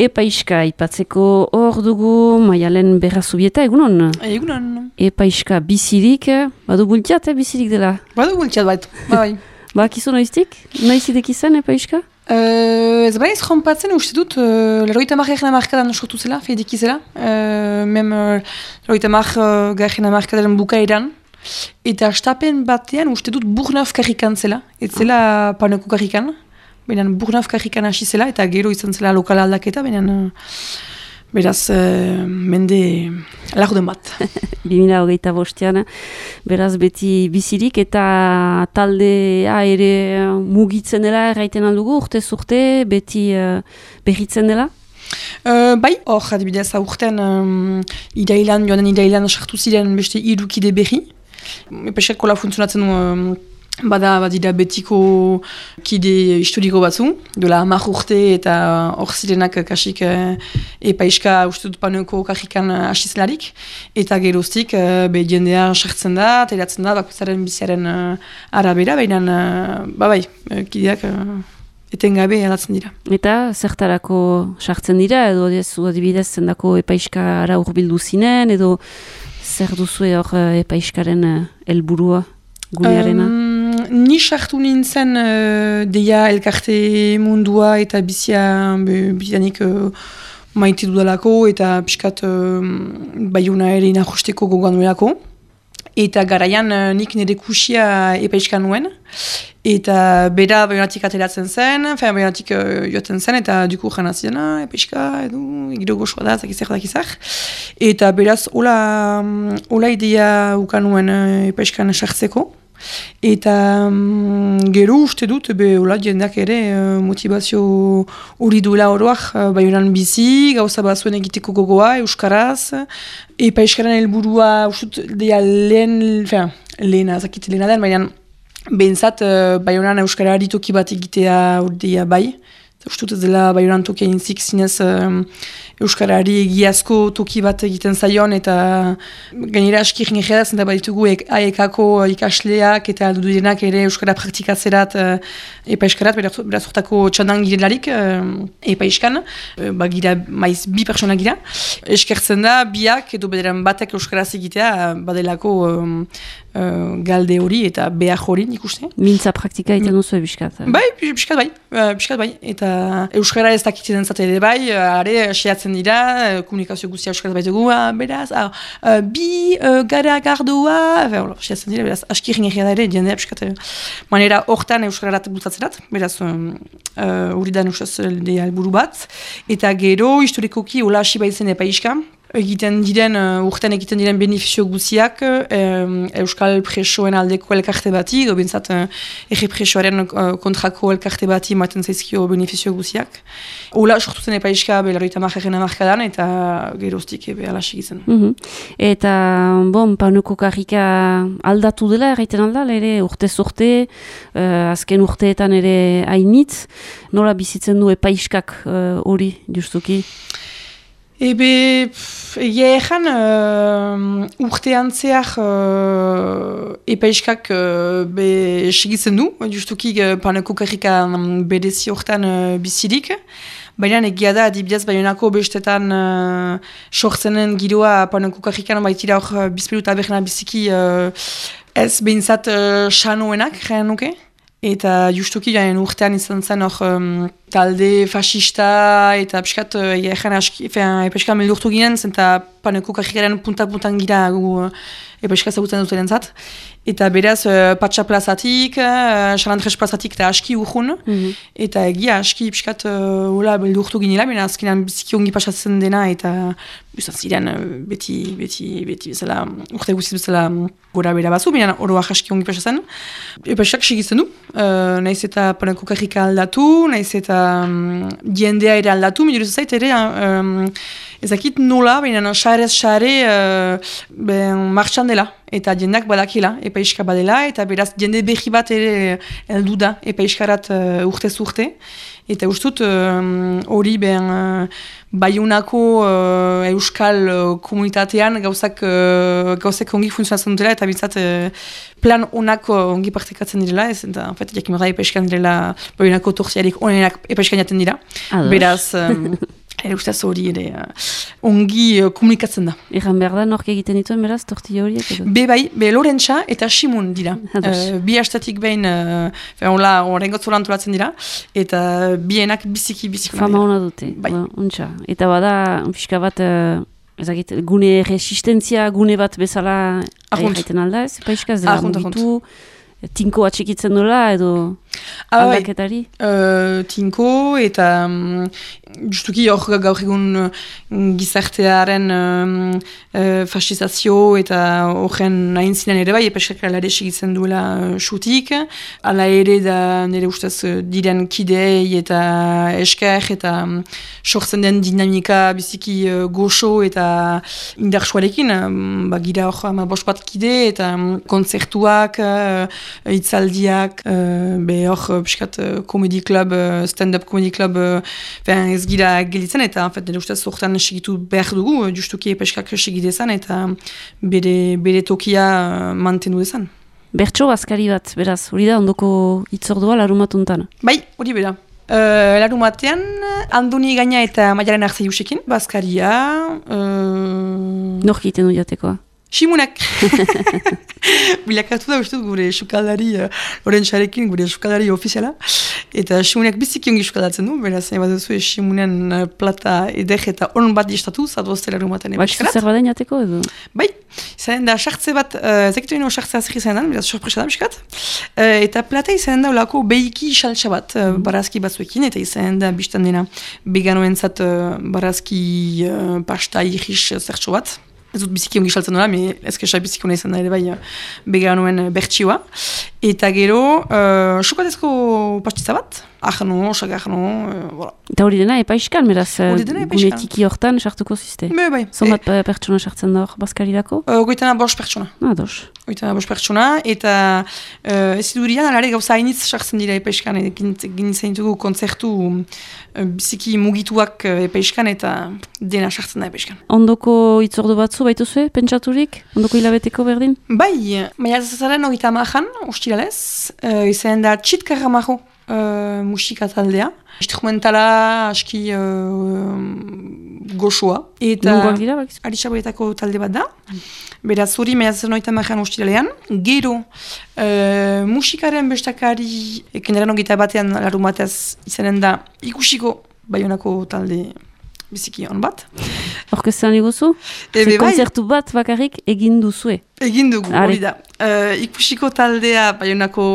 Epaiska ipatzeko hor dugu, Maialen Berrazubieta, egunon? Egunon. Epaiska bizirik, badu bultiat, bizirik dela? Badu bultiat baitu, bai. Kizu noiztik? Noizidek izan Epaiska? Ez bai ez jompatzen uste dut, leroita margaren amarkadan sortu zela, fedik izela. Leroita margaren amarkadaren bukaeran. Eta astapen batean uste dut Burnaf karrikan zela, ez zela Paneko karrikan. Baina Burnaf karrikan hasi zela eta gero izan zela lokala aldaketa, baina beraz mende laguden bat. 2025, beraz beti bizirik eta taldea ere mugitzen dela erraiten aldugu, urtez urte, beti berritzen dela? Bai, hor adibidez urtean joanen irailan sartu ziren beste 3 kide berri. Epaiskak kola funtzionatzen du badira betiko kide historiko batzu, dola 10 urte eta hor zirenak kasik Epaiska uste dut Paneko karrikan asizelarik, eta geroztik jendea sartzen da, teratzen da, bakoitzaren biziaren arabera, baina kideak etengabe aldatzen dira. Eta zertarako sartzen dira, edo adibidez zendako Epaiskara hurbildu zinen, edo zer duzu hor Epaiskaren helburua gunearena? Ni sartu nintzen deia elkarte mundua eta bizianik maite dudalako eta piskat Baiona ere inajusteko gogoan nuelako. Eta garaian nik nire kusia Epaiskan nuen. Eta bera Baionatik ateratzen zen, Baionatik joaten zen, eta duku jana zidena, Epaiska, giro gozoa da, zakizak. Eta beraz, hola idea ukan nuen Epaiskan sartzeko. Eta gero uste dut, jendeak ere motivazio hori duela oroak Baionan bizi, gauza bazuen egiteko gogoa, euskaraz. Epaiskaren helburua uste dut lehena den, baina behintzat Baionan euskarari toki bat egitea hori bai. Uste dut ez dela Baionan tokia intzik zinez euskarari egiazko toki bat egiten zaion, eta gainera askir nire da, baditugu AEK-ko ikasleak eta alduduenak ere euskara praktikatzerat Epaiskarat, beraz urtako txandan girelarik Epaiskan, gira maiz 2 pertsona gira. Eskertzen da, biak edo bederan batek euskaraz egitea badelako galde hori eta behar hori nik uste. Mintza praktika egiten duzu ebiskat? Piskat bai. Eta euskara ez dakitzen zate ere bai, are asiatzen dira, komunikazio guztia euskaraz baitugu, beraz, bi gara gardua, asiatzen dira, beraz, askir nirria da ere, jendea piskat. Manera hortan euskararat bultzatzerat, beraz, hori da nusaz helburu bat. Eta gero, historikoki, hola hasi baitzen Epaiska. Urtean egiten diren benefizio guziak Euskal Presoen aldeko elkarte bati, edo bintzat ege presoaren kontrako elkarte bati maten zaizkio benefizio guziak. Ola sortu zen Epaiska belarroita margaren amarkadan eta geroztik alas egiten. Eta, Paneko karrika aldatu dela, erraiten alda, ere urtez urte, azken urteetan ere hainitz, nola bizitzen du Epaiskak hori, justuki? Egia ezan urtean zehar Epaiskak segitzen du, justuki Paneko karrika berezi hortan bizirik. Baina egia da, adibidez Baionako bestetan sortzenen giroa Paneko karrikan baitira hor bizperu eta berna biziki ez behintzat xanoenak, jaren nuke. Eta justuki urtean izan zen hor talde fascista eta piskat Epaiska meldurtu ginen, zenta Paneko karrikaren punta-puntan gira Epaiska zagutzen dutenen zat. Eta beraz, Patsa plazatik, Chalandres plazatik eta aski urhun. Eta egia aski piskat beldurtu ginela, baina azkenean biziki ongi pasatzen dena eta bizan ziren beti bezala, urte guziz bezala gora bera bazu, baina oroak aski ongi pasatzen. Epaiskak segitzen du, nahiz eta Paneko karrika aldatu, nahiz eta jendea ere aldatu, miduruz zait ere, ezakit nola, baina xarez-xare martxan dela. Eta jendeak badakila, Epaiska badela, eta beraz jende berri bat ere heldu da Epaiskarat urtez urte. Eta ustut hori Baionako euskal komunitatean gauzak ongi funtzionatzen dutela, eta bintzat plan onak ongi partekatzen direla, ez, eta jakimera Epaiskan direla Baionako torziarik onenak Epaiskan jaten dira. Beraz, Ere ustez hori ere ongi komunikatzen da. Egan behar da, nork egiten dituen, beraz, tortilla horiek edo? Be Lorentza eta Simun dira. Bi hastatik behin, horrengotzola antolatzen dira, eta bienak biziki. Fama hona dute, untxa. Eta bada, pixka bat, ezagit, gune resistentzia, gune bat bezala egiten alda, ez? Paiska ez dela mugitu, tinko atxikitzen dola, edo aldaketari? Tinko, eta justuki hor gaur egun gizartearen fascizazio eta horren nahin zinen ere bai, epeskak alare segitzen duela xutik. Ala ere da nire ustez diren kidei eta esker eta sortzen den dinamika biziki goxo eta indartsuarekin. Gira hor bost bat kide eta kontzertuak, hitzaldiak, hor piskat comedy club, stand-up comedy club ez gira gelitzen eta nire ustez horretan segitu behar dugu, justuki epeskak segidezan eta bere tokia mantendu dezan. Bertso azkari bat, beraz, hori da ondoko itzordua larumatuntan? Bai, hori bera. Larumatean, Andoni Gaina eta Maialen Arzaiusekin, bazkaria. Nork egiten du jatekoa? Simunak! Bilakatu da uste gure sukaldari, Lorentzarekin gure sukaldari ofiziala. Eta Simunak biziki ongi sukaldatzen du, beraz, baduzu Simunen plata edek eta on bat distatu, zadozte larumaten ebeskarat. Baina zer baden jateko edo? Bai, izan da sartze bat, zekitu ino sartze azri izan da, beraz, sorpresa da biskat. Eta plata izan da olako behiki saltsa bat, barazki batzuekin, eta izan da biztan dena veganoentzat barazki pasta irris zertxo bat. Ez dut biziki ongi saltzen dola, ezkesa biziki hona izan da ere bai veganoen bertsioa. Eta gero, sukatezko pastitza bat, ahno, sagarno, voilà. Eta hori dena epaiskan, beraz, gune tiki hortan sartuko ziste? Bai. Zonbat pertsona sartzen da hor, bazkarirako? Goitana 5 pertsona. Goitana 5 pertsona, eta ez idurian, alare gauza hainitz sartzen dira epaiskan, ginitzen ditugu kontzertu biziki mugituak epaiskan, eta dena sartzen da epaiskan. Ondoko itzordu batzu baituzue, pentsaturik? Ondoko hilabeteko berdin? Bai, maiatzazaren 30an, ustiralez, izan da Txitkarramajo musika taldea. Instrumentala aski goxoa. Nungoak dira, bakizu? Aritxaboretako talde bat da. Beraz, hori maiatzazaren 30an ustiralean. Gero, musikaren bestakari, kenderan 21an larumatez izanen da ikusiko Baionako talde biziki on bat. Orkestran iguzu? Konzertu bat bakarrik egin duzue? Egin dugu, hori da. Ikusiko taldea Baionako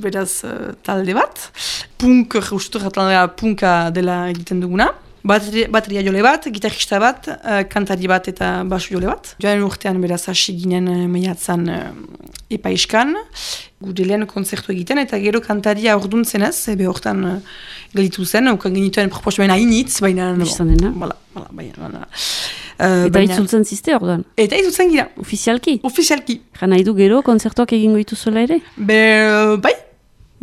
beraz talde bat. Punk, justurak taldea punka dela egiten duguna. Bateria jole bat, gitarista bat, kantari bat eta basu jole bat. Joan urtean beraz hasi ginen maiatzan epaiskan. Gure lehen konzertu egiten eta gero kantaria orduntzen ez, ebe hortan gelitu zen, ukan genituen proposamena hainitz, baina... Bistan dena? Eta itzultzen ziste orduan? Eta itzultzen gira. Ofizialki? Ofizialki. Jana idu gero konzertuak egingo dituzuela ere?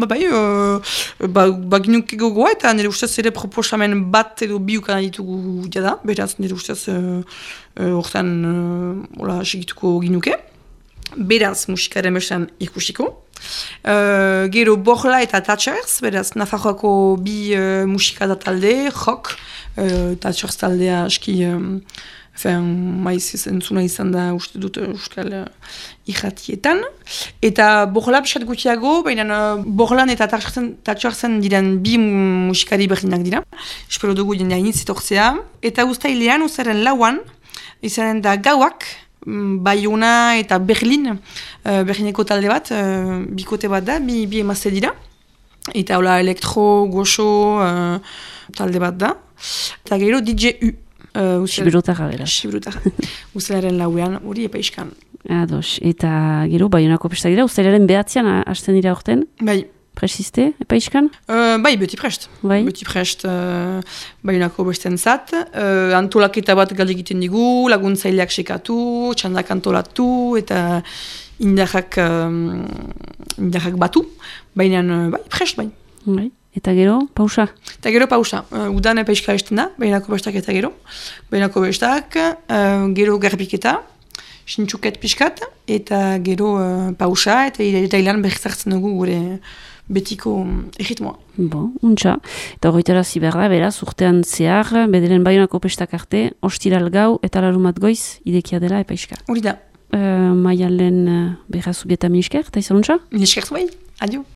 Baginuk egogoa eta nire ustez ere proposamen bat edo biukan ditugu jada, beraz nire ustez hortan segituko ginuke. Beraz musikaren besan ikusiko. Gero Borla eta Thatchers, beraz Nafarroako bi musika da talde, rock, Thatchers taldea aski... maiz entzuna izan da uste dut euskal irratietan. Eta Borla pixat gutiago, baina Borlan eta Thatchersen diren bi musikari berdinak dira. Espero dugu jendea initz etortzea. Eta uztailean, uzaren lauan, izanen da gauak, Baiona eta Berlineko talde bat, bikote bat da, bi emazte dira. Eta hola elektro, goxo, talde bat da. Eta gero DJ-U. Sibirutarra bera. Sibirutarra. Uztailaren lauean, hori epaiskan. Ados, eta gero, Baionako pesta dira, uztailaren behatzean hasten dira orten? Bai. Presiste, epaiskan? Bai, beti prest. Bai? Beti prest Baionako besten zat. Antolaketa bat galde egiten digu, laguntzaileak sekatu, txandak antolatu, eta indarrak batu. Baina, bai, prest, bai. Bai. Eta gero, pausa? Eta gero, pausa. Udan epaiska esten da, Baionako bestak eta gero. Baionako bestak, gero garbiketa, sintxuket piskat, eta gero pausa, eta ilan berrizartzen dugu gure betiko erritmoa. Bon, untxa. Eta horretara behar da, beraz, urtean zehar, bederen Baionako pestak arte, ostiral gau eta larumat goiz idekia dela epaiska. Hori da. Maialen berra zubieta minisker, eta izan untxa? Miniskertu bai, adio.